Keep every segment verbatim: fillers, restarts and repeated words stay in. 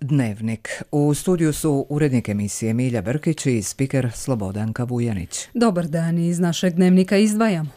Dnevnik. U studiju su urednik emisije Milja Brkić i spiker Slobodanka Vujanić. Dobar dan, iz našeg dnevnika izdvajamo.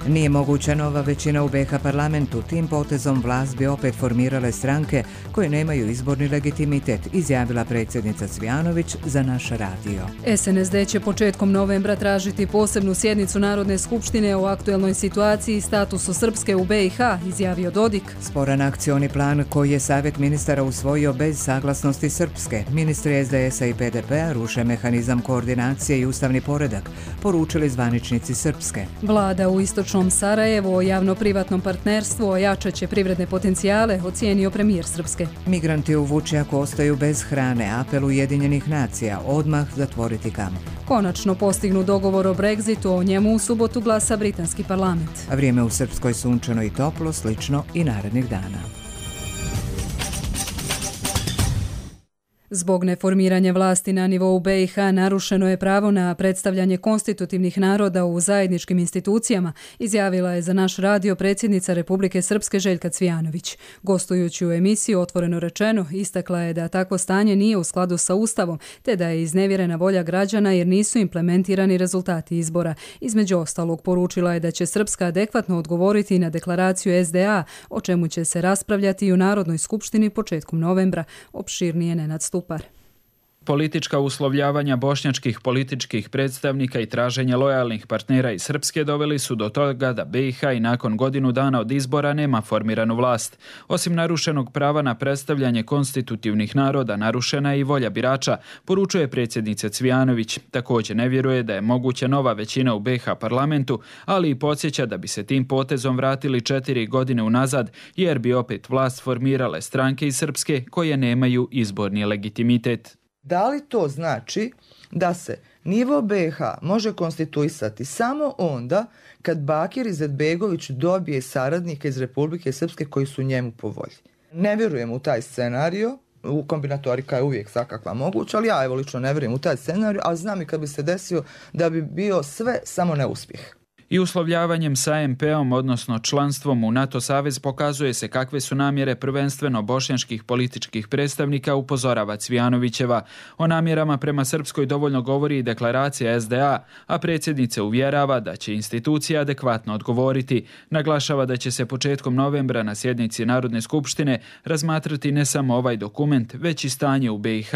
Nije moguća nova većina u B iH parlamentu. Tim potezom vlast bi opet formirale stranke koje nemaju izborni legitimitet, izjavila predsjednica Cvijanović za naš radio. S N S D će početkom novembra tražiti posebnu sjednicu Narodne skupštine o aktuelnoj situaciji i statusu Srpske u B iH, izjavio Dodik. Sporan akcioni plan koji je Savjet ministara usvojio bez saglasnosti Srpske. Ministri S D S-a i P D P-a ruše mehanizam koordinacije i ustavni poredak, poručili zvaničnici Srpske. Vlada u istočnom Sarajevo o javno-privatnom partnerstvu ojačat će privredne potencijale, ocijenio premijer Srpske. Migranti u Vučjaku ostaju bez hrane, apel Ujedinjenih nacija, odmah zatvoriti kamp. Konačno postignu dogovor o Brexitu, o njemu u subotu glasa britanski parlament. A vrijeme u Srpskoj sunčano i toplo, slično i narednih dana. Zbog neformiranja vlasti na nivou B iH narušeno je pravo na predstavljanje konstitutivnih naroda u zajedničkim institucijama, izjavila je za naš radio predsjednica Republike Srpske Željka Cvijanović. Gostujući u emisiji Otvoreno rečeno, istakla je da takvo stanje nije u skladu sa Ustavom, te da je iznevjerena volja građana jer nisu implementirani rezultati izbora. Između ostalog, poručila je da će Srpska adekvatno odgovoriti na deklaraciju S D A, o čemu će se raspravljati i u Narodnoj skupštini početkom novembra. Opširnije Nenad Stupar. Politička uslovljavanja bošnjačkih političkih predstavnika i traženje lojalnih partnera iz Srpske doveli su do toga da B iH i nakon godinu dana od izbora nema formiranu vlast. Osim narušenog prava na predstavljanje konstitutivnih naroda, narušena je i volja birača, poručuje predsjednica Cvijanović. Također ne vjeruje da je moguća nova većina u B iH parlamentu, ali i podsjeća da bi se tim potezom vratili četiri godine unazad, jer bi opet vlast formirale stranke iz Srpske koje nemaju izborni legitimitet. Da li to znači da se nivo B iH može konstituisati samo onda kad Bakir Izetbegović dobije saradnike iz Republike Srpske koji su njemu po volji? Ne vjerujem u taj scenario, u kombinatorika je uvijek svakakva moguća, ali ja evo lično ne vjerujem u taj scenario, a znam i kad bi se desio da bi bio sve samo neuspjeh. I uslovljavanjem sa M P-om, odnosno članstvom u NATO savez, pokazuje se kakve su namjere prvenstveno bošnjačkih političkih predstavnika, upozorava Cvijanovićeva. O namjerama prema Srpskoj dovoljno govori i deklaracija S D A, a predsjednica uvjerava da će institucija adekvatno odgovoriti. Naglašava da će se početkom novembra na sjednici Narodne skupštine razmatrati ne samo ovaj dokument, već i stanje u B iH.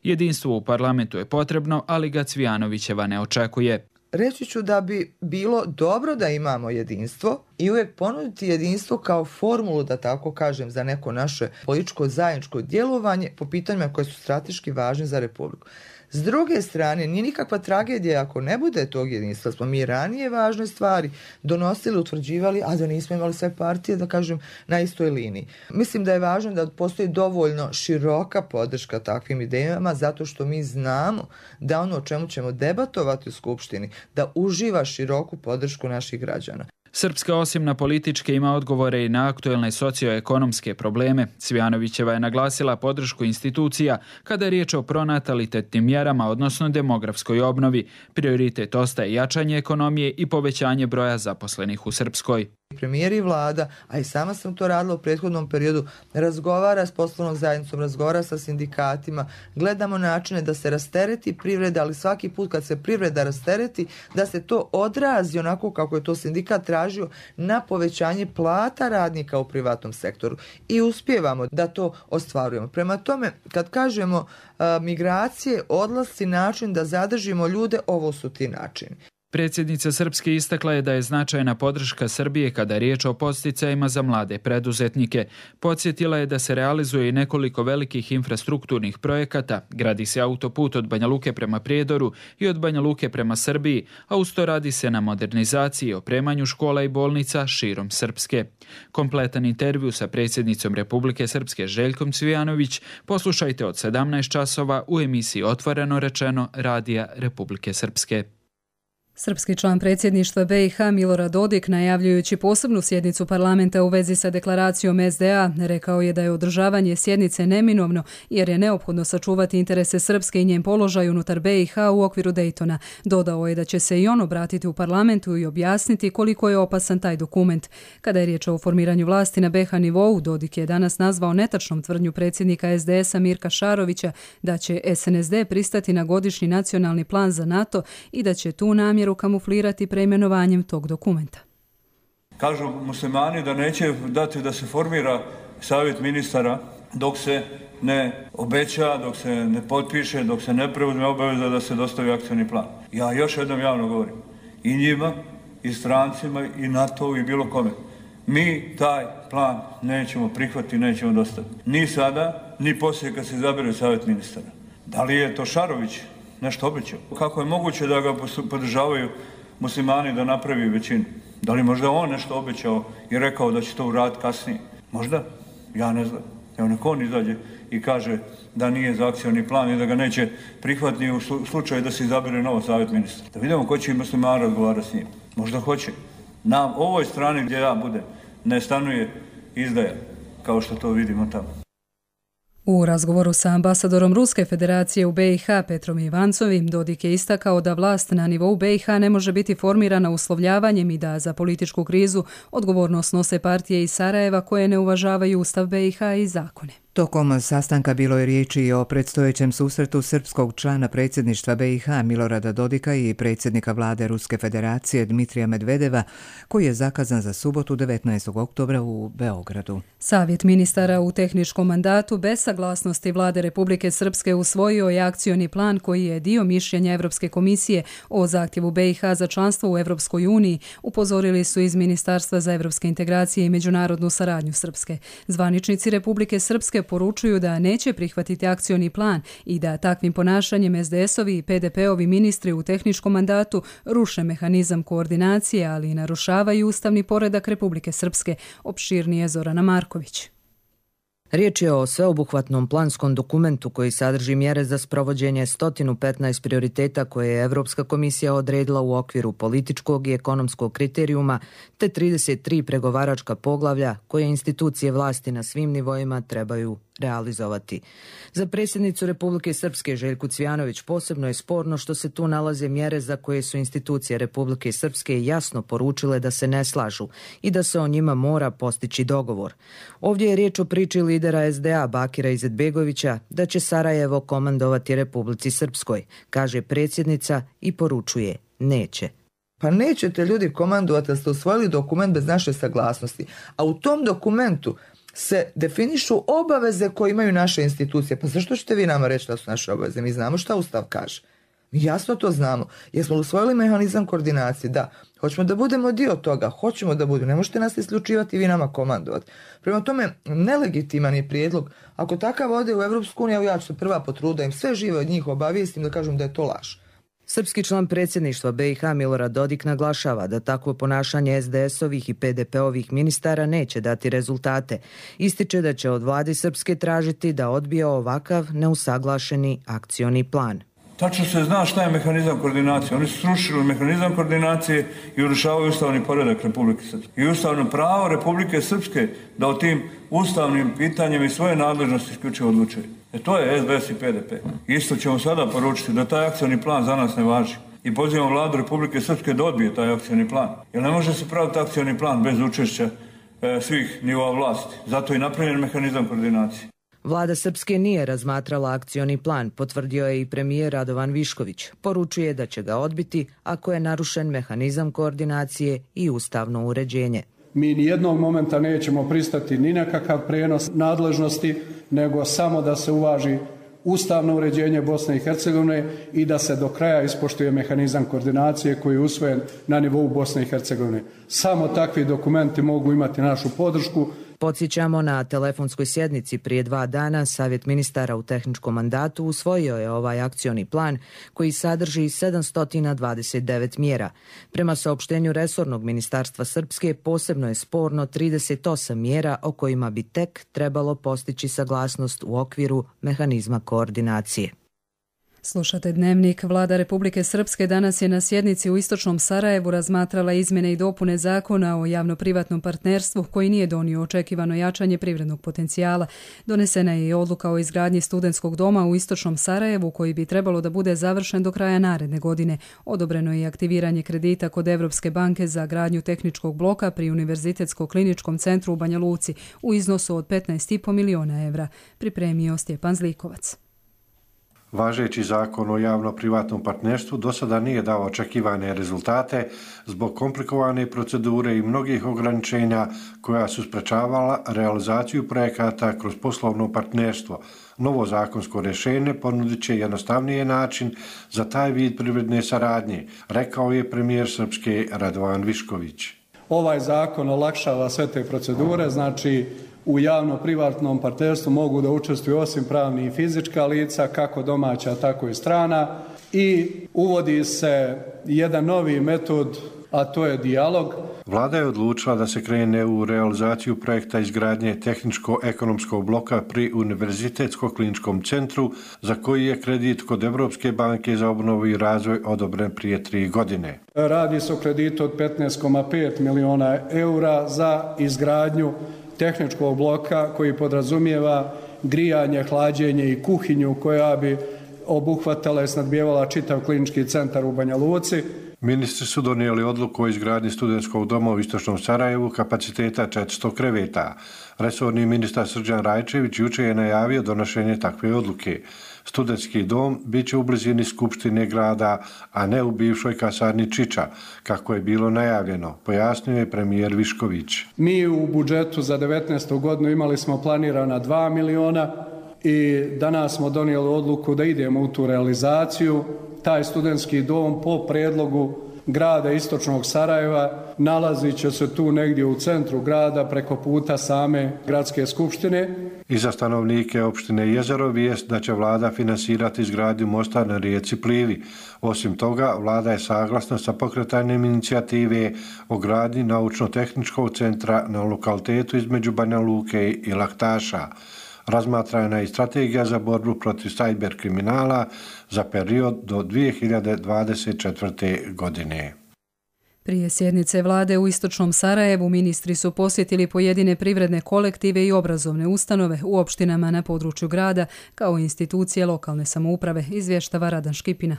Jedinstvo u parlamentu je potrebno, ali ga Cvijanovićeva ne očekuje. Reći ću da bi bilo dobro da imamo jedinstvo i uvijek ponuditi jedinstvo kao formulu, da tako kažem, za neko naše političko zajedničko djelovanje po pitanjima koje su strateški važni za Republiku. S druge strane, nije nikakva tragedija ako ne bude tog jedinstva. Smo mi ranije važne stvari donosili, utvrđivali, a da nismo imali sve partije, da kažem, na istoj liniji. Mislim da je važno da postoji dovoljno široka podrška takvim idejama, zato što mi znamo da ono o čemu ćemo debatovati u Skupštini, da uživa široku podršku naših građana. Srpska osim na političke ima odgovore i na aktuelne socioekonomske probleme. Cvijanovićeva je naglasila podršku institucija kada je riječ o pronatalitetnim mjerama, odnosno demografskoj obnovi. Prioritet ostaje jačanje ekonomije i povećanje broja zaposlenih u Srpskoj. Premijer i vlada, a i sama sam to radila u prethodnom periodu, razgovara s poslovnom zajednicom, razgovara sa sindikatima, gledamo načine da se rastereti privreda, ali svaki put kad se privreda rastereti, da se to odrazi onako kako je to sindikat tražio na povećanje plata radnika u privatnom sektoru. I uspijevamo da to ostvarujemo. Prema tome, kad kažemo a, migracije, odlasci, način da zadržimo ljude, ovo su ti načini. Predsjednica Srpske istakla je da je značajna podrška Srbije kada je riječ o podsticajima za mlade preduzetnike. Podsjetila je da se realizuje i nekoliko velikih infrastrukturnih projekata, gradi se autoput od Banja Luke prema Prijedoru i od Banja Luke prema Srbiji, a uz to radi se na modernizaciji i opremanju škola i bolnica širom Srpske. Kompletan intervju sa predsjednicom Republike Srpske Željkom Cvijanović poslušajte od sedamnaest časova u emisiji Otvoreno rečeno Radija Republike Srpske. Srpski član predsjedništva B i H Milorad Dodik, najavljujući posebnu sjednicu parlamenta u vezi sa deklaracijom S D A, rekao je da je održavanje sjednice neminovno jer je neophodno sačuvati interese Srpske i njen položaj unutar B i H u okviru Daytona. Dodao je da će se i on obratiti u parlamentu i objasniti koliko je opasan taj dokument. Kada je riječ o formiranju vlasti na B H nivou, Dodik je danas nazvao netačnom tvrdnju predsjednika S D S-a Mirka Šarovića da će S N S D pristati na godišnji nacionalni plan za NATO i da će tu namjeru kamuflirati preimenovanjem tog dokumenta. Kažu muslimani da neće dati da se formira savjet ministara dok se ne obeća, dok se ne potpiše, dok se ne preuzme obaveza da se dostavi akcioni plan. Ja još jednom javno govorim i njima, i strancima, i NATO, i bilo kome. Mi taj plan nećemo prihvatiti, nećemo dostaviti. Ni sada, ni poslije kad se izabere savjet ministara. Da li je to Šarović nešto obećao? Kako je moguće da ga podržavaju muslimani da napravi većinu? Da li možda on nešto obećao i rekao da će to uraditi kasnije? Možda? Ja ne znam. Evo neko on izađe i kaže da nije za akcioni plan i da ga neće prihvatiti u slučaju da se izabere novo savjet ministra. Da vidimo ko će i muslimani razgovarati s njim. Možda hoće. Na ovoj strani gdje ja budem ne stanuje izdaja, kao što to vidimo tamo. U razgovoru sa ambasadorom Ruske federacije u B i H Petrom Ivancovim, Dodik je istakao da vlast na nivou B i H ne može biti formirana uslovljavanjem i da za političku krizu odgovornost nose partije iz Sarajeva koje ne uvažavaju Ustav B i H i zakone. Tokom sastanka bilo je riječi i o predstojećem susretu srpskog člana predsjedništva B i H Milorada Dodika i predsjednika vlade Ruske federacije Dmitrija Medvedeva, koji je zakazan za subotu devetnaestog oktobra u Beogradu. Savjet ministara u tehničkom mandatu bez saglasnosti vlade Republike Srpske usvojio je akcioni plan koji je dio mišljenja Evropske komisije o zahtjevu B i H za članstvo u Evropskoj uniji, upozorili su iz Ministarstva za evropske integracije i međunarodnu saradnju Srpske. Zvaničnici Republike Srpske poručuju da neće prihvatiti akcioni plan i da takvim ponašanjem S D S-ovi i P D P-ovi ministri u tehničkom mandatu ruše mehanizam koordinacije, ali i narušavaju ustavni poredak Republike Srpske, opširnije Zorana Marković. Riječ je o sveobuhvatnom planskom dokumentu koji sadrži mjere za sprovođenje sto petnaest prioriteta koje je Evropska komisija odredila u okviru političkog i ekonomskog kriterijuma te trideset tri pregovaračka poglavlja koje institucije vlasti na svim nivoima trebaju realizovati. Za predsjednicu Republike Srpske Željku Cvijanović posebno je sporno što se tu nalaze mjere za koje su institucije Republike Srpske jasno poručile da se ne slažu i da se o njima mora postići dogovor. Ovdje je riječ o priči lidera S D A Bakira Izetbegovića da će Sarajevo komandovati Republici Srpskoj, kaže predsjednica i poručuje neće. Pa nećete ljudi komandovati da ste usvojili dokument bez naše saglasnosti, a u tom dokumentu se definišu obaveze koje imaju naše institucije. Pa zašto ćete vi nama reći da su naše obaveze? Mi znamo šta Ustav kaže. Mi jasno to znamo. Jesmo usvojili mehanizam koordinacije? Da. Hoćemo da budemo dio toga. Hoćemo da budemo. Ne možete nas isključivati i vi nama komandovati. Prema tome, nelegitiman je prijedlog. Ako takav ode u Evropsku uniju, ja ću se prva potruda im sve žive od njih obavijestim da kažem da je to laž. Srpski član predsjedništva B i H Milorad Dodik naglašava da takvo ponašanje S D S-ovih i P D P-ovih ministara neće dati rezultate. Ističe da će od vlade Srpske tražiti da odbije ovakav neusaglašeni akcioni plan. Tačno se zna šta je mehanizam koordinacije. Oni su srušili mehanizam koordinacije i urušavaju ustavni poredak Republike Srpske. I ustavno pravo Republike Srpske da o tim ustavnim pitanjima i svoje nadležnosti isključivo odlučuje. E to je S D S i P D P. Isto ćemo sada poručiti da taj akcioni plan za nas ne važi. I pozivamo vladu Republike Srpske da odbije taj akcioni plan. Jer ne može se praviti akcioni plan bez učešća e, svih nivoa vlasti. Zato je napravljen mehanizam koordinacije. Vlada Srpske nije razmatrala akcioni plan, potvrdio je i premijer Radovan Višković. Poručuje da će ga odbiti ako je narušen mehanizam koordinacije i ustavno uređenje. Mi ni jednog momenta nećemo pristati ni na kakav prenos nadležnosti, nego samo da se uvaži ustavno uređenje Bosne i Hercegovine i da se do kraja ispoštuje mehanizam koordinacije koji je usvojen na nivou Bosne i Hercegovine. Samo takvi dokumenti mogu imati našu podršku. Podsjećamo, na telefonskoj sjednici prije dva dana Savjet ministara u tehničkom mandatu usvojio je ovaj akcioni plan koji sadrži sedamsto dvadeset devet mjera. Prema saopštenju resornog ministarstva Srpske posebno je sporno trideset osam mjera o kojima bi tek trebalo postići saglasnost u okviru mehanizma koordinacije. Slušate Dnevnik. Vlada Republike Srpske danas je na sjednici u istočnom Sarajevu razmatrala izmjene i dopune zakona o javno-privatnom partnerstvu koji nije donio očekivano jačanje privrednog potencijala. Donesena je i odluka o izgradnji studentskog doma u istočnom Sarajevu koji bi trebalo da bude završen do kraja naredne godine. Odobreno je i aktiviranje kredita kod Evropske banke za gradnju tehničkog bloka pri Univerzitetsko-kliničkom centru u Banja Luci u iznosu od petnaest i po miliona evra. Pripremio Stjepan Zlikovac. Važeći zakon o javno-privatnom partnerstvu do sada nije dao očekivane rezultate zbog komplikovane procedure i mnogih ograničenja koja su sprečavala realizaciju projekata kroz poslovno partnerstvo. Novo zakonsko rješenje ponudit će jednostavniji način za taj vid privredne saradnje, rekao je premijer Srpske Radovan Višković. Ovaj zakon olakšava sve te procedure, znači u javno-privatnom partnerstvu mogu da učestvuju osim pravnih i fizička lica, kako domaća, tako i strana, i uvodi se jedan novi metod, a to je dijalog. Vlada je odlučila da se krene u realizaciju projekta izgradnje tehničko-ekonomskog bloka pri Univerzitetsko-kliničkom centru, za koji je kredit kod Evropske banke za obnovu i razvoj odobren prije tri godine. Radi se o kreditu od petnaest zarez pet miliona eura za izgradnju tehničkog bloka koji podrazumijeva grijanje, hlađenje i kuhinju koja bi obuhvatala i snadbijevala čitav klinički centar u Banja Luci. Ministri su donijeli odluku o izgradnji studentskog doma u istočnom Sarajevu kapaciteta četiristo kreveta. Resorni ministar Srđan Rajčević jučer je najavio donošenje takve odluke. Studentski dom bit će u blizini Skupštine grada, a ne u bivšoj kasarni Čiča, kako je bilo najavljeno, pojasnio je premijer Višković. Mi u budžetu za devetnaestu godinu imali smo planirana dva miliona i danas smo donijeli odluku da idemo u tu realizaciju. Taj studentski dom po predlogu grada istočnog Sarajeva nalazit će se tu negdje u centru grada preko puta same gradske skupštine. I za stanovnike opštine Jezero vijest da će vlada finansirati izgradnju mosta na rijeci Plivi. Osim toga, vlada je saglasna sa pokretanjem inicijative o gradnji naučno-tehničkog centra na lokalitetu između Banja Luke i Laktaša. Razmatrana je i strategija za borbu protiv sajber kriminala za period do dvije hiljade dvadeset četvrte. godine. Prije sjednice vlade u istočnom Sarajevu ministri su posjetili pojedine privredne kolektive i obrazovne ustanove u opštinama na području grada kao i institucije lokalne samouprave, izvještava Radan Škipina.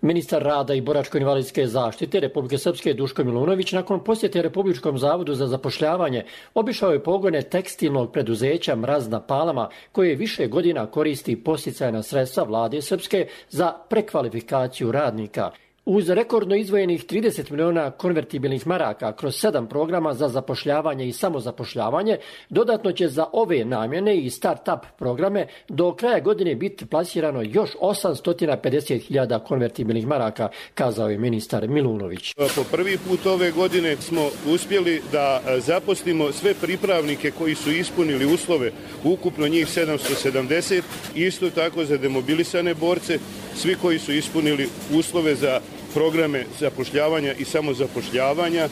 Ministar rada i boračko-invalidske zaštite Republike Srpske Duško Milunović nakon posjete Republičkom zavodu za zapošljavanje obišao je pogone tekstilnog preduzeća Mraz na Palama koje više godina koristi podsticajna sredstva vlade Srpske za prekvalifikaciju radnika. Uz rekordno izdvojenih trideset miliona konvertibilnih maraka kroz sedam programa za zapošljavanje i samozapošljavanje, dodatno će za ove namjene i start-up programe do kraja godine biti plasirano još osamsto pedeset hiljada konvertibilnih maraka, kazao je ministar Milunović. Po prvi put ove godine smo uspjeli da zaposlimo sve pripravnike koji su ispunili uslove, ukupno njih sedamsto sedamdeset, isto tako za demobilisane borce, svi koji su ispunili uslove za programe zapošljavanja i samozapošljavanja,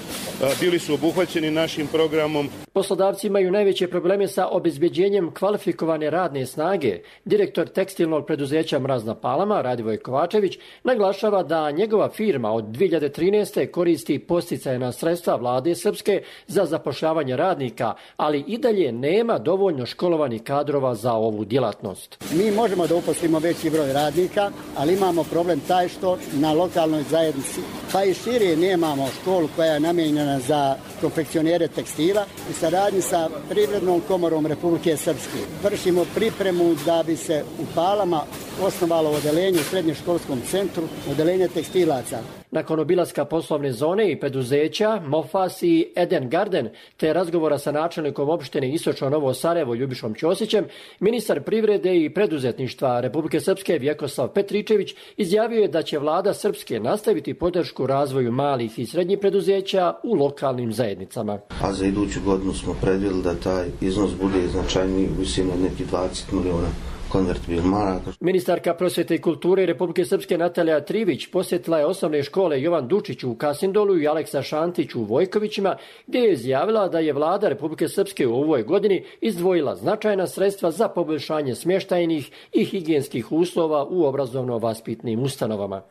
bili su obuhvaćeni našim programom. Poslodavci imaju najveće probleme sa obezbeđenjem kvalifikovane radne snage. Direktor tekstilnog preduzeća Mraz na Palama, Radivoj Kovačević, naglašava da njegova firma od dvije hiljade trinaeste. koristi podsticajna sredstva vlade Srpske za zapošljavanje radnika, ali i dalje nema dovoljno školovanih kadrova za ovu djelatnost. Mi možemo da uposlimo veći broj radnika, ali imamo problem taj što na lokalnoj zajednici, pa i šire nemamo školu koja je namijenjena za konfekcionere tekstila. U saradnji sa Privrednom komorom Republike Srpske vršimo pripremu da bi se u Palama osnovalo odeljenje u srednjoškolskom centru, odeljenje tekstilaca. Nakon obilaska poslovne zone i preduzeća Mofas i Eden Garden te razgovora sa načelnikom opštine Istočno Novo Sarajevo Ljubišom Ćosićem, ministar privrede i preduzetništva Republike Srpske Vjekoslav Petričević izjavio je da će vlada Srpske nastaviti podršku razvoju malih i srednjih preduzeća u lokalnim zajednicama. A za iduću godinu smo predvidjeli da taj iznos bude značajniji u visini od nekih dvadeset miliona konvertibil maraka. Ministarka prosvjete i kulture Republike Srpske Natalija Trivić posjetila je osnovne škole Jovan Dučić u Kasindolu i Aleksa Šantić u Vojkovićima, gdje je izjavila da je vlada Republike Srpske u ovoj godini izdvojila značajna sredstva za poboljšanje smještajnih i higijenskih uslova u obrazovno-vaspitnim ustanovama.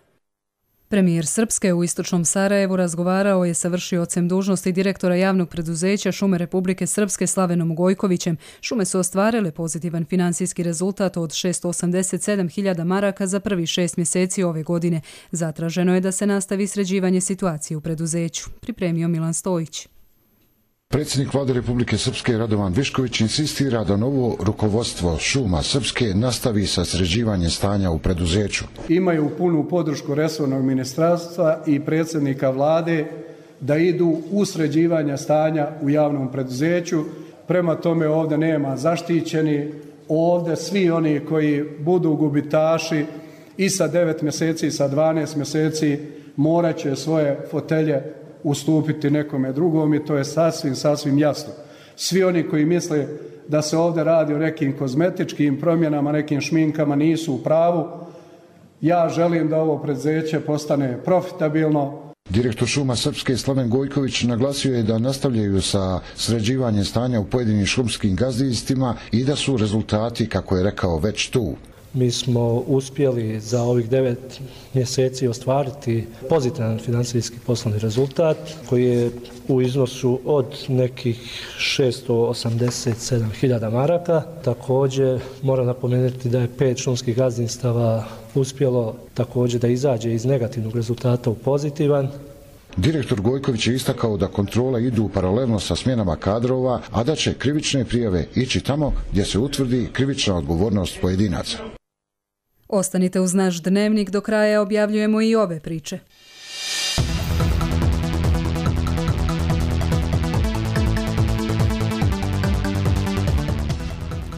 Premijer Srpske u istočnom Sarajevu razgovarao je sa vršiocem dužnosti direktora javnog preduzeća Šume Republike Srpske Slavenom Gojkovićem. Šume su ostvarile pozitivan financijski rezultat od šesto osamdeset sedam hiljada maraka za prvi šest mjeseci ove godine. Zatraženo je da se nastavi sređivanje situacije u preduzeću. Pripremio Milan Stojić. Predsjednik vlade Republike Srpske Radovan Višković insistira da novo rukovodstvo Šuma Srpske nastavi sa sređivanjem stanja u preduzeću. Imaju punu podršku resornog ministarstva i predsjednika vlade da idu u sređivanje stanja u javnom preduzeću. Prema tome ovdje nema zaštićeni, ovdje svi oni koji budu gubitaši i sa devet mjeseci i sa dvanaest mjeseci morat će svoje fotelje ustupiti nekome drugom i to je sasvim, sasvim jasno. Svi oni koji misle da se ovdje radi o nekim kozmetičkim promjenama, nekim šminkama, nisu u pravu. Ja želim da ovo preduzeće postane profitabilno. Direktor Šuma Srpske Slaven Gojković naglasio je da nastavljaju sa sređivanjem stanja u pojedinim šumskim gazdinstvima i da su rezultati, kako je rekao, već tu. Mi smo uspjeli za ovih devet mjeseci ostvariti pozitivan financijski poslovni rezultat koji je u iznosu od nekih šesto osamdeset sedam hiljada maraka. Također moram napomenuti da je pet šumskih gazdinstava uspjelo također da izađe iz negativnog rezultata u pozitivan. Direktor Gojković je istakao da kontrole idu paralelno sa smjenama kadrova, a da će krivične prijave ići tamo gdje se utvrdi krivična odgovornost pojedinaca. Ostanite uz naš dnevnik, do kraja objavljujemo i ove priče.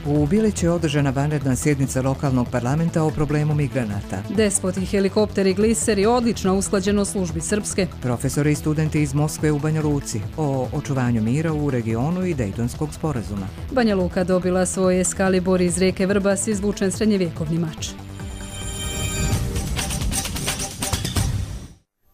U Bilići je održana vanredna sjednica lokalnog parlamenta o problemu migranata. Despoti, helikopteri, gliseri, odlična usklađenost službi Srpske. Profesori i studenti iz Moskve u Banja Luci o očuvanju mira u regionu i Dejtonskog sporazuma. Banja Luka dobila svoj Eskalibor iz rijeke Vrbas, izvučen srednjevjekovni mač.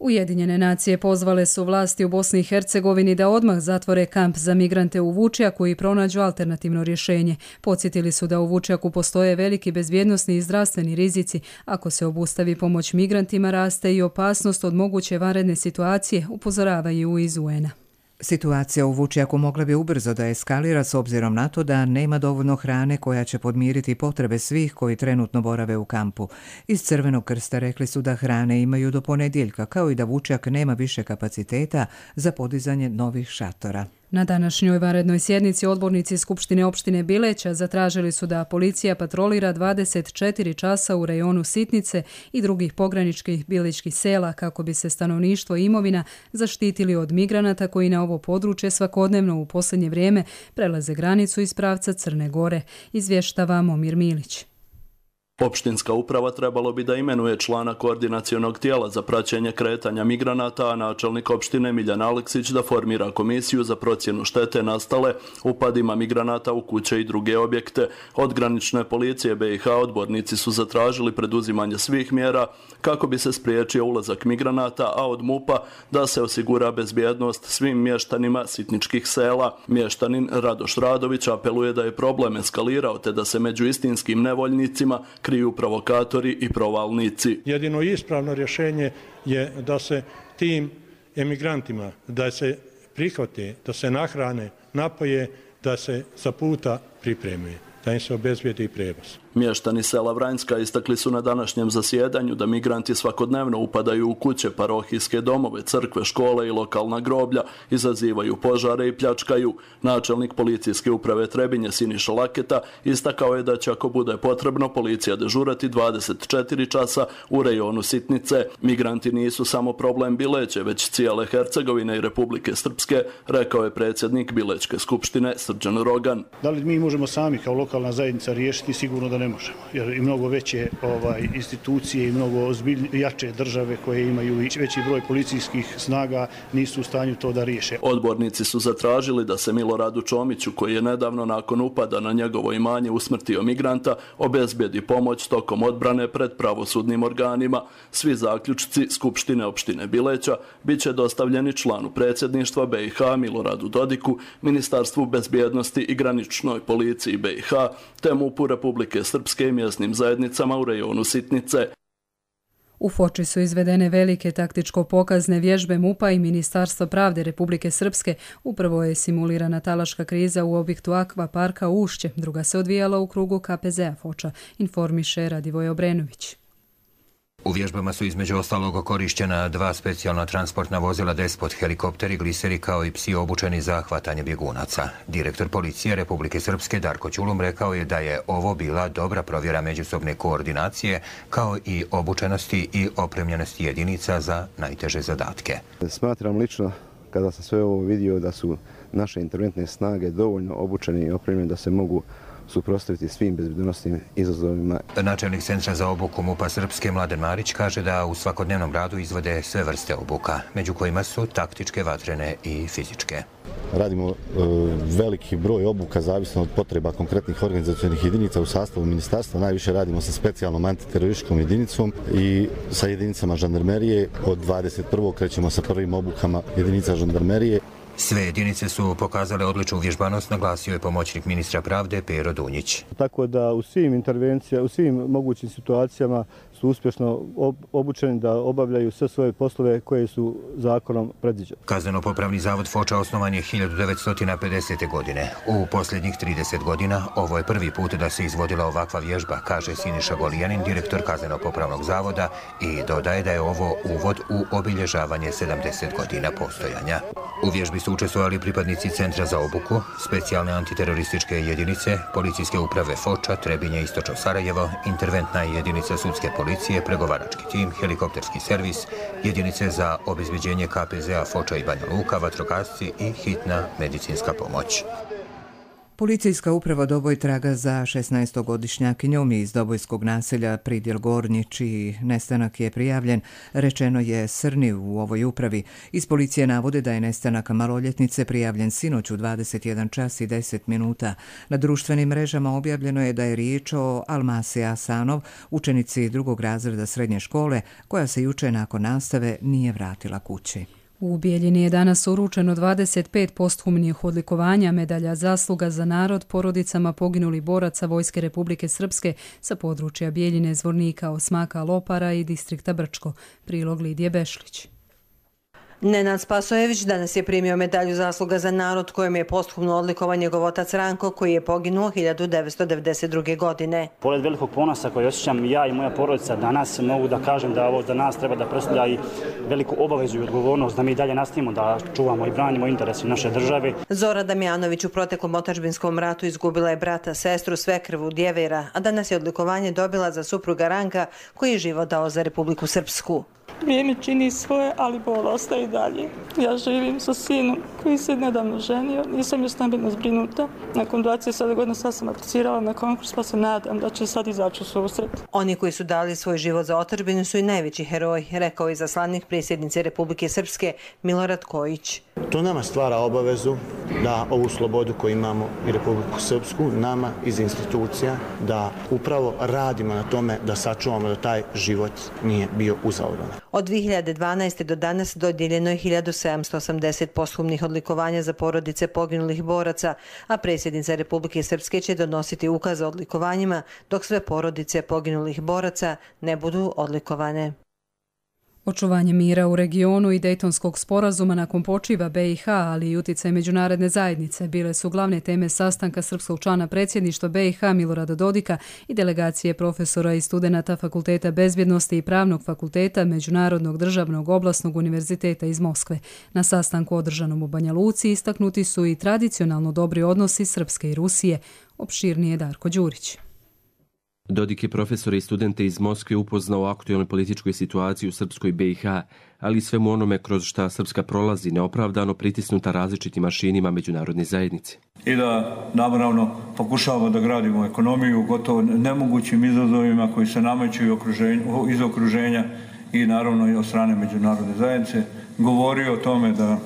Ujedinjene nacije pozvale su vlasti u Bosni i Hercegovini da odmah zatvore kamp za migrante u Vučjaku i pronađu alternativno rješenje. Podsjetili su da u Vučjaku postoje veliki bezbjednosni i zdravstveni rizici. Ako se obustavi pomoć migrantima, raste i opasnost od moguće vanredne situacije, upozoravaju iz U N-a. Situacija u Vučjaku mogla bi ubrzo da eskalira s obzirom na to da nema dovoljno hrane koja će podmiriti potrebe svih koji trenutno borave u kampu. Iz Crvenog krsta rekli su da hrane imaju do ponedjeljka, kao i da Vučjak nema više kapaciteta za podizanje novih šatora. Na današnjoj vanrednoj sjednici odbornici Skupštine opštine Bileća zatražili su da policija patrolira dvadeset četiri časa u rejonu Sitnice i drugih pograničkih biličkih sela kako bi se stanovništvo i imovina zaštitili od migranata koji na ovo područje svakodnevno u posljednje vrijeme prelaze granicu iz pravca Crne Gore, izvještava Momir Milić. Opštinska uprava trebalo bi da imenuje člana koordinacionog tijela za praćenje kretanja migranata, a načelnik opštine Miljan Aleksić da formira komisiju za procjenu štete nastale upadima migranata u kuće i druge objekte. Od granične policije B i H odbornici su zatražili preduzimanje svih mjera kako bi se spriječio ulazak migranata, a od M U P-a da se osigura bezbjednost svim mještanima sitničkih sela. Mještanin Radoš Radović apeluje da je problem eskalirao te da se među istinskim nevoljnicima kriju provokatori i provalnici. Jedino ispravno rješenje je da se tim emigrantima da se prihvate, da se nahrane, napoje, da se za puta pripreme, da im se obezbijedi prevoz. Mještani sela Vranjska istakli su na današnjem zasjedanju da migranti svakodnevno upadaju u kuće, parohijske domove, crkve, škole i lokalna groblja, izazivaju požare i pljačkaju. Načelnik policijske uprave Trebinje Siniša Laketa istakao je da će ako bude potrebno policija dežurati dvadeset četiri časa u rejonu Sitnice. Migranti nisu samo problem Bileće, već cijele Hercegovine i Republike Srpske, rekao je predsjednik Bilečke skupštine Srđan Rogan. Da li mi možemo sami kao lokalna zajednica riješiti? Sigurno da ne možemo. Jer i mnogo veće ovaj, institucije i mnogo ozbilj, jače države koje imaju i veći broj policijskih snaga nisu u stanju to da riješe. Odbornici su zatražili da se Miloradu Čomiću, koji je nedavno nakon upada na njegovo imanje usmrtio migranta, obezbedi pomoć tokom odbrane pred pravosudnim organima. Svi zaključci Skupštine opštine Bileća bit će dostavljeni članu predsjedništva B i H Miloradu Dodiku, Ministarstvu bezbjednosti i graničnoj policiji B i H, te MUP-u Republike Srpske i mjesnim zajednicama u rejonu Sitnice. U Foči su izvedene velike taktičko-pokazne vježbe MUP-a i Ministarstva pravde Republike Srpske. Upravo je simulirana talaška kriza u objektu Akvaparka Ušće, druga se odvijala u krugu K P Z-a Foča, informiše Radivoj Obrenović. U vježbama su između ostalog korišćena dva specijalna transportna vozila Despot, helikopteri, gliseri kao i psi obučeni za hvatanje bjegunaca. Direktor policije Republike Srpske Darko Ćulum rekao je da je ovo bila dobra provjera međusobne koordinacije kao i obučenosti i opremljenosti jedinica za najteže zadatke. Smatram lično, kada sam sve ovo vidio, da su naše interventne snage dovoljno obučene i opremljene da se mogu suprotstaviti svim bezbjednosnim izazovima. Načelnik Centra za obuku MUP-a Srpske Mladen Marić kaže da u svakodnevnom radu izvode sve vrste obuka, među kojima su taktičke, vatrene i fizičke. Radimo e, veliki broj obuka zavisno od potreba konkretnih organizacionih jedinica u sastavu ministarstva. Najviše radimo sa specijalnom antiterorističkom jedinicom i sa jedinicama žandarmerije. Od dvadeset prvog krećemo sa prvim obukama jedinica žandarmerije. Sve jedinice su pokazale odličnu vježbanost, naglasio je pomoćnik ministra pravde Pero Dunjić. Tako da u svim intervencijama, u svim mogućim situacijama su uspješno obučeni da obavljaju sve svoje poslove koje su zakonom predviđene. Kazneno-popravni zavod Foča osnovan je hiljadu devetsto pedesete. godine. U posljednjih trideset godina ovo je prvi put da se izvodila ovakva vježba, kaže Siniša Golijanin, direktor Kazneno-popravnog zavoda, i dodaje da je ovo uvod u obilježavanje sedamdeset godina postojanja. U vježbi su učestvovali pripadnici Centra za obuku, specijalne antiterorističke jedinice, policijske uprave Foča, Trebinje, Istočno Sarajevo, interventna jedinica sudske policije, pregovarački tim, helikopterski servis, jedinice za obezbeđenje K P Z-a Foča i Banja Luka, vatrogasci i hitna medicinska pomoć. Policijska uprava Doboj traga za šesnaestogodišnjakinjom iz Dobojskog naselja Pridjel Gornji, čiji nestanak je prijavljen, rečeno je Srni u ovoj upravi. Iz policije navode da je nestanak maloljetnice prijavljen sinoć u dvadeset jedan čas i deset minuta. Na društvenim mrežama objavljeno je da je riječ o Almasi Asanov, učenici drugog razreda srednje škole, koja se juče nakon nastave nije vratila kući. U Bijeljini je danas uručeno dvadeset pet posthumnih odlikovanja, medalja zasluga za narod porodicama poginulih boraca Vojske Republike Srpske sa područja Bijeljine, Zvornika, Osmaka, Lopara i distrikta Brčko. Prilog Lidije Bešlić. Nenad Spasojević danas je primio medalju zasluga za narod kojom je posthumno odlikovan njegov otac Ranko, koji je poginuo hiljadu devetsto devedeset druge. godine. Pored velikog ponosa koji osjećam ja i moja porodica danas, mogu da kažem da ovo za nas treba da predstavlja i veliku obavezu i odgovornost da mi dalje nastavimo da čuvamo i branimo interese naše države. Zora Damjanović u proteklom otadžbinskom ratu izgubila je brata, sestru, svekrvu, djevera, a danas je odlikovanje dobila za supruga Ranka, koji je život dao za Republiku Srpsku. Vrijeme čini svoje, ali bol ostaje dalje. Ja živim sa sinom koji se nedavno ženio, nisam još stambeno zbrinuta. Nakon dvadeset sedam godina sad sam aplicirala na konkurs, pa se nadam da će sad izaći u susret. Oni koji su dali svoj život za otadžbinu su i najveći heroji, rekao je izaslanik predsjednice Republike Srpske Milorad Kojić. To nama stvara obavezu da ovu slobodu koju imamo i Republiku Srpsku, nama iz institucija, da upravo radimo na tome da sačuvamo da taj život nije bio uzalud. Od dvije hiljade dvanaeste. do danas dodijeljeno je hiljadu sedamsto osamdeset posthumnih odlikovanja za porodice poginulih boraca, a predsjednica Republike Srpske će donositi ukaz o odlikovanjima dok sve porodice poginulih boraca ne budu odlikovane. Očuvanje mira u regionu i Dejtonskog sporazuma nakon počiva B i H, ali i utjecaj međunarodne zajednice bile su glavne teme sastanka srpskog člana predsjedništva B i H Milorada Dodika i delegacije profesora i studenata Fakulteta bezbjednosti i Pravnog fakulteta Međunarodnog državnog oblasnog univerziteta iz Moskve. Na sastanku održanom u Banja Luci istaknuti su i tradicionalno dobri odnosi Srpske i Rusije, opširnije Darko Đurić. Dodik je profesore i studente iz Moskve upoznao o aktualnoj političkoj situaciji u Srpskoj B i H, ali i svemu onome kroz šta Srpska prolazi neopravdano pritisnuta različitim mašinima međunarodne zajednice. I da naravno pokušavamo da gradimo ekonomiju gotovo nemogućim izazovima koji se nameću iz okruženja i naravno i od strane međunarodne zajednice. Govori o tome da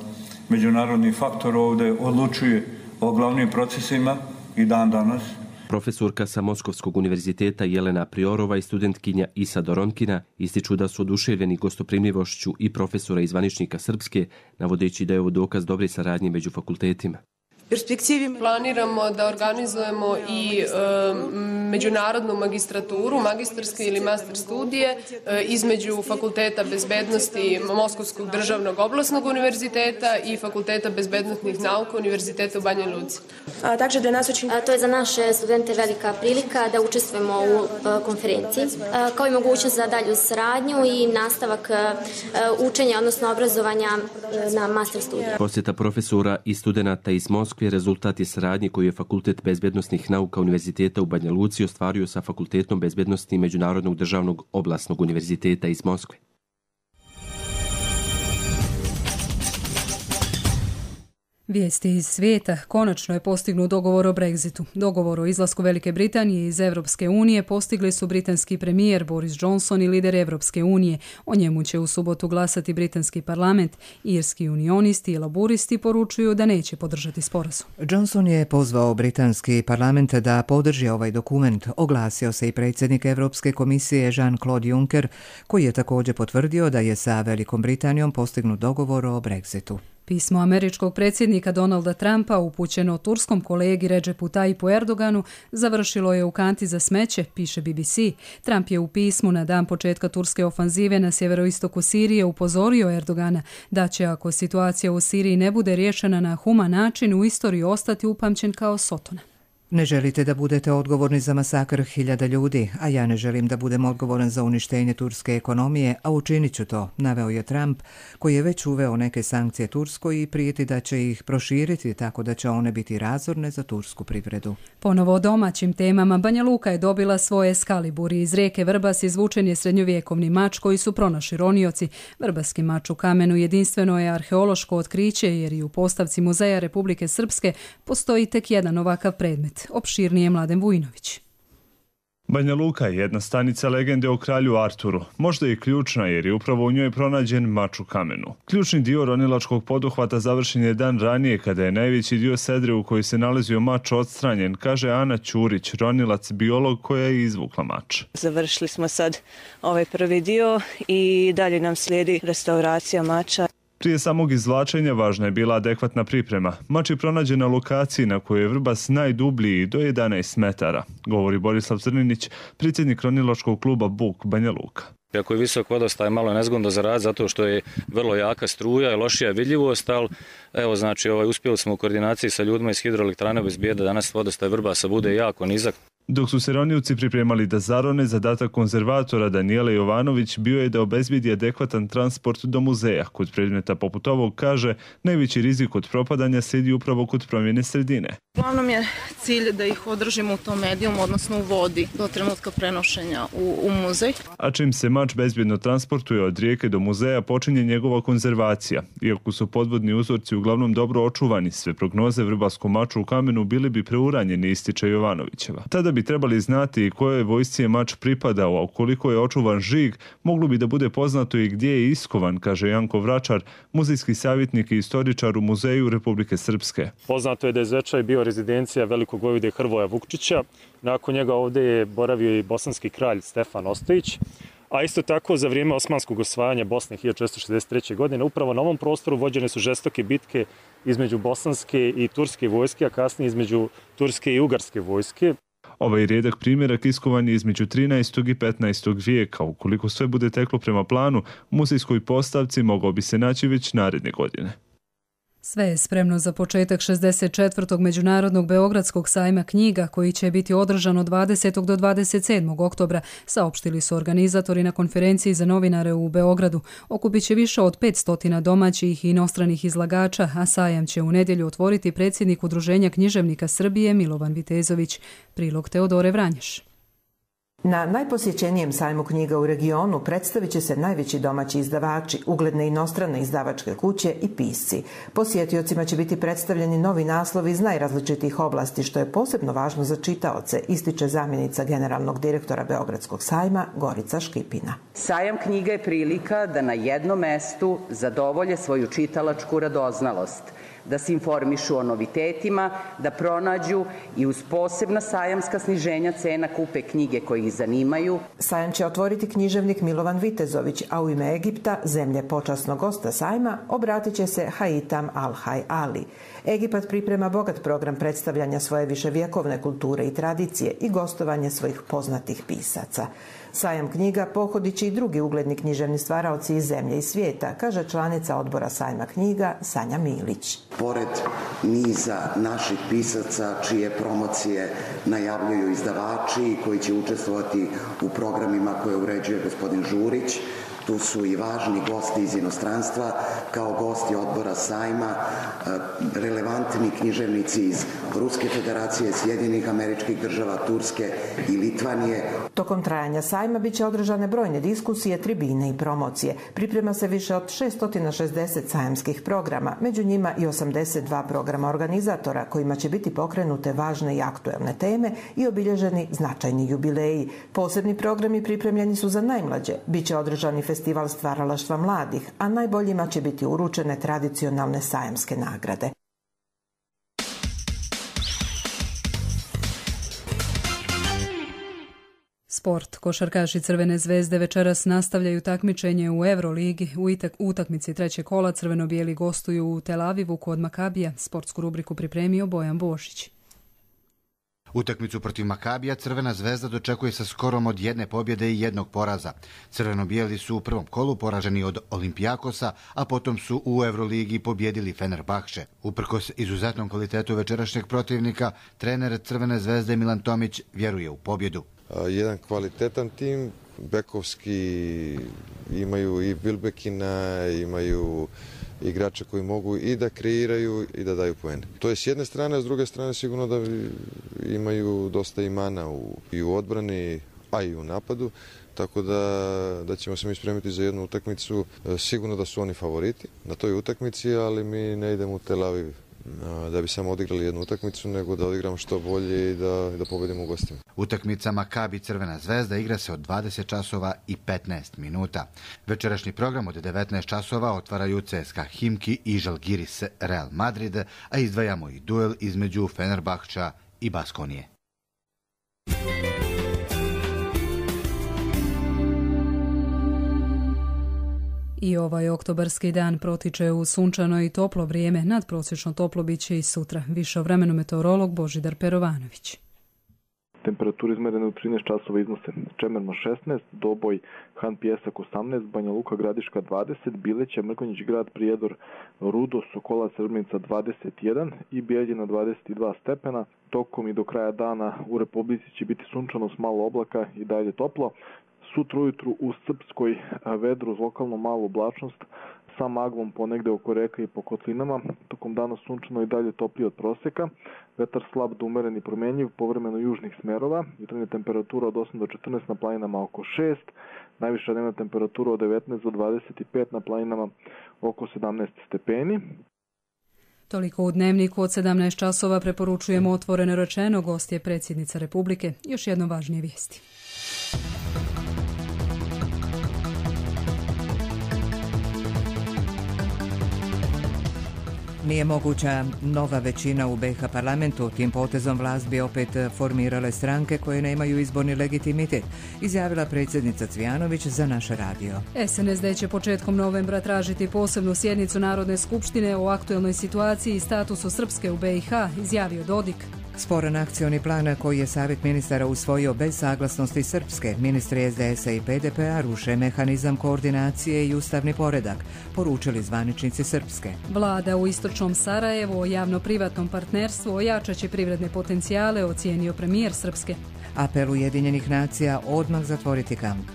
međunarodni faktor ovdje odlučuje o glavnim procesima i dan danas. Profesorka sa Moskovskog univerziteta Jelena Priorova i studentkinja Isa Doronkina ističu da su oduševljeni gostoprimljivošću i profesora i zvaničnika Srpske, navodeći da je ovo dokaz dobre saradnje među fakultetima. Planiramo da organizujemo i e, međunarodnu magistraturu, magistarske ili master studije e, između Fakulteta bezbednosti Moskovskog državnog oblasnog univerziteta i Fakulteta bezbednostnih nauka Univerziteta u Banja Luci. A, takže da nas učin... A, to je za naše studente velika prilika da učestvujemo u a, konferenciji, a, kao i mogućnost za dalju saradnju i nastavak a, učenja, odnosno obrazovanja a, na master studiju. Posjeta profesora i studenata iz Moskve rezultat je saradnje koju je Fakultet bezbednosnih nauka Univerziteta u Banja Luci ostvario sa Fakultetom bezbednosti Međunarodnog državnog oblasnog univerziteta iz Moskve. Vijesti iz svijeta. Konačno je postignut dogovor o Brexitu. Dogovor o izlasku Velike Britanije iz Evropske unije postigli su britanski premijer Boris Johnson i lider Evropske unije. O njemu će u subotu glasati britanski parlament. Irski unionisti i laburisti poručuju da neće podržati sporazum. Johnson je pozvao britanski parlament da podrži ovaj dokument. Oglasio se i predsjednik Evropske komisije Jean-Claude Juncker, koji je također potvrdio da je sa Velikom Britanijom postignut dogovor o Brexitu. Pismo američkog predsjednika Donalda Trumpa upućeno turskom kolegi Recepu Tayyipu Erdoganu završilo je u kanti za smeće, piše B B C. Trump je u pismu na dan početka turske ofanzive na sjeveroistoku Sirije upozorio Erdogana da će, ako situacija u Siriji ne bude riješena na human način, u istoriji ostati upamćen kao Sotona. Ne želite da budete odgovorni za masakr hiljada ljudi, a ja ne želim da budem odgovoran za uništenje turske ekonomije, a učinit ću to, naveo je Trump, koji je već uveo neke sankcije Turskoj i prijeti da će ih proširiti tako da će one biti razorne za tursku privredu. Ponovo o domaćim temama. Banja Luka je dobila svoje Skaliburi. Iz rijeke Vrbas izvučen je srednjovjekovni mač koji su pronašli ronioci. Vrbaski mač u kamenu jedinstveno je arheološko otkriće jer i u postavci Muzeja Republike Srpske postoji tek jedan ovakav predmet. Opširnije Mladen Vujinović. Banja Luka je jedna stanica legende o kralju Arturu, možda i ključna jer je upravo u njoj pronađen mač u kamenu. Ključni dio ronilačkog poduhvata završen je dan ranije kada je najveći dio sedre u kojoj se nalazio mač odstranjen, kaže Ana Ćurić, ronilac biolog koja je izvukla mač. Završili smo sad ovaj prvi dio i dalje nam slijedi restauracija mača. Prije samog izvlačenja važna je bila adekvatna priprema. Mač je pronađen na lokaciji na kojoj je Vrbas najdublji do jedanaest metara, govori Borislav Crninić, predsjednik ronilačkog kluba Buk Banja Luka. Ako je visok vodostaj, malo je nezgodno za rad zato što je vrlo jaka struja i lošija vidljivost, ali evo znači ovaj, uspjeli smo u koordinaciji sa ljudima iz hidroelektrane bez bijeda, danas vodostaj Vrbasa bude jako nizak. Dok su se ronioci pripremali da zarone, zadatak konzervatora Danijela Jovanović bio je da obezbedi adekvatan transport do muzeja. Kod predmeta poput ovog, kaže, najveći rizik od propadanja slijedi upravo kod promjene sredine. Uglavnom je cilj da ih održimo u tom medijumu, odnosno u vodi, do trenutka prenošenja u, u muzej. A čim se mač bezbjedno transportuje od rijeke do muzeja, počinje njegova konzervacija. Iako su podvodni uzorci uglavnom dobro očuvani, sve prognoze vrbaskom maču u kamenu bili bi preuranjeni, ističe Jovanovićeva. Tada bi trebali znati kojoj vojsci je mač pripadao, a ukoliko je očuvan žig, moglo bi da bude poznato i gdje je iskovan, kaže Janko Vračar, muzejski savjetnik i istoričar u Muzeju Republike Srpske. Poznato je da je Zvečaj bio rezidencija velikog vojvode Hrvoja Vukčića. Nakon njega ovdje je boravio i bosanski kralj Stefan Ostojić. A isto tako za vrijeme osmanskog osvajanja Bosne hiljadu četiristo šezdeset treće. godine upravo na ovom prostoru vođene su žestoke bitke između bosanske i turske vojske, a kasnije između turske i ugarske vojske. Ovaj rijedak primjerak iskovan je između trinaestog i petnaestog vijeka. Ukoliko sve bude teklo prema planu, u muzejskoj postavci mogao bi se naći već naredne godine. Sve je spremno za početak šezdeset četvrtog Međunarodnog Beogradskog sajma knjiga koji će biti održan od dvadesetog do dvadeset sedmog oktobra, saopštili su organizatori na konferenciji za novinare u Beogradu. Okupit će više od petsto domaćih i inostranih izlagača, a sajam će u nedjelju otvoriti predsjednik Udruženja književnika Srbije Milovan Vitezović. Prilog Teodore Vranješ. Na najposjećenijem sajmu knjiga u regionu predstavit će se najveći domaći izdavači, ugledne inostrane izdavačke kuće i pisci. Posjetiocima će biti predstavljeni novi naslovi iz najrazličitih oblasti, što je posebno važno za čitaoce, ističe zamjenica generalnog direktora Beogradskog sajma Gorica Škipina. Sajam knjiga je prilika da na jednom mestu zadovolje svoju čitalačku radoznalost, da se informišu o novitetima, da pronađu i uz posebna sajamska sniženja cena kupe knjige koje ih zanimaju. Sajam će otvoriti književnik Milovan Vitezović, a u ime Egipta, zemlje počasnog gosta sajma, obratit će se Haitam Al-Hay Ali. Egipat priprema bogat program predstavljanja svoje viševjekovne kulture i tradicije i gostovanje svojih poznatih pisaca. Sajam knjiga pohodit će i drugi ugledni književni stvaraoci iz zemlje i svijeta, kaže članica odbora sajma knjiga Sanja Milić. Pored niza naših pisaca čije promocije najavljuju izdavači koji će učestvovati u programima koje uređuje gospodin Žurić, tu su i važni gosti iz inostranstva, kao gosti odbora sajma, relevantni književnici iz Ruske federacije, Sjedinjenih Američkih Država, Turske i Litvanije. Tokom trajanja sajma biće održane brojne diskusije, tribine i promocije. Priprema se više od šesto šezdeset sajamskih programa, među njima i osamdeset dva programa organizatora kojima će biti pokrenute važne i aktuelne teme i obilježeni značajni jubileji. Posebni programi pripremljeni su za najmlađe. Biće održani festival stvaralaštva mladih, a najboljima će biti uručene tradicionalne sajamske nagrade. Sport. Košarkaši Crvene zvezde večeras nastavljaju takmičenje u Euroligi. U utakmici trećeg kola crveno-bijeli gostuju u Tel Avivu kod Makabija. Sportsku rubriku pripremio Bojan Bošić. Utakmicu protiv Makabija Crvena zvezda dočekuje sa skorom od jedne pobjede i jednog poraza. Crveno-bijeli su u prvom kolu poraženi od Olimpijakosa, a potom su u Euroligi pobjedili Fenerbahče. Uprkos izuzetnom kvalitetu večerašnjeg protivnika, trener Crvene zvezde Milan Tomić vjeruje u pobjedu. Jedan kvalitetan tim, bekovski, imaju i Bilbekina, imaju igrača koji mogu i da kreiraju i da daju poene. To je s jedne strane, a s druge strane sigurno da imaju dosta imana u, i u odbrani, a i u napadu, tako da, da ćemo se mi spremiti za jednu utakmicu. Sigurno da su oni favoriti na toj utakmici, ali mi ne idemo u Tel Aviv da bi samo odigrali jednu utakmicu, nego da odigramo što bolje i da, da pobedimo u gostima. Utakmica Makabi Crvena zvezda igra se od dvadeset časova i petnaest minuta. Večerašnji program od devetnaest časova otvaraju C S K A Himki i Žalgiris Real Madrid, a izdvajamo i duel između Fenerbahča i Baskonije. I ovaj oktobarski dan protiče u sunčano i toplo vrijeme, nadprosječno toplo biće i sutra. Više o vremenu meteorolog Božidar Perovanović. Temperature izmerene u trinaest časova iznose Čemerno šesnaest, Doboj, Han Pijesak osamnaest, Banja Luka Gradiška dvadeset, Bileća, Mrkonjić Grad, Prijedor, Rudo, Sokolac, Srbnica dvadeset jedan i Bijeljina dvadeset dva stepena. Tokom i do kraja dana u Republici će biti sunčano s malo oblaka i dalje toplo. Sutra ujutru u Srpskoj vedru uz lokalnu malu oblačnost sa maglom ponegde oko reka i po kotlinama. Tokom dana sunčano i dalje toplije od proseka. Vetar slab do umeren i promenjiv, povremeno južnih smerova. Jutarnja temperatura od osam do četrnaest, na planinama oko šest. Najviša dnevna temperatura od devetnaest do dvadeset pet, na planinama oko sedamnaest stepeni. Toliko u Dnevniku od sedamnaest časova. Preporučujemo Otvoreno rečeno. Gost je predsjednica Republike. Još jedno važnije vijesti. Nije moguća nova većina u B iH parlamentu. Tim potezom vlast bi opet formirale stranke koje nemaju izborni legitimitet, izjavila predsjednica Cvijanović za naš radio. S N S D će početkom novembra tražiti posebnu sjednicu Narodne skupštine o aktuelnoj situaciji i statusu Srpske u B iH, izjavio Dodik. Sporan akcioni plan koji je Savjet ministara usvojio bez saglasnosti Srpske, ministri S D S-a i P D P-a ruše mehanizam koordinacije i ustavni poredak, poručili zvaničnici Srpske. Vlada u istočnom Sarajevu o javno-privatnom partnerstvu ojačat će privredne potencijale, ocijenio premijer Srpske. Apel Ujedinjenih nacija odmah zatvoriti kamp.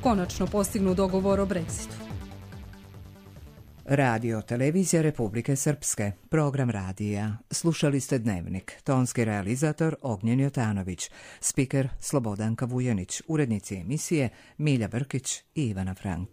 Konačno postignu dogovor o Brexitu. Radio Televizija Republike Srpske, program radija. Slušali ste Dnevnik, tonski realizator Ognjen Jotanović, spiker Slobodanka Vujanić, urednici emisije Milja Brkić i Ivana Frank.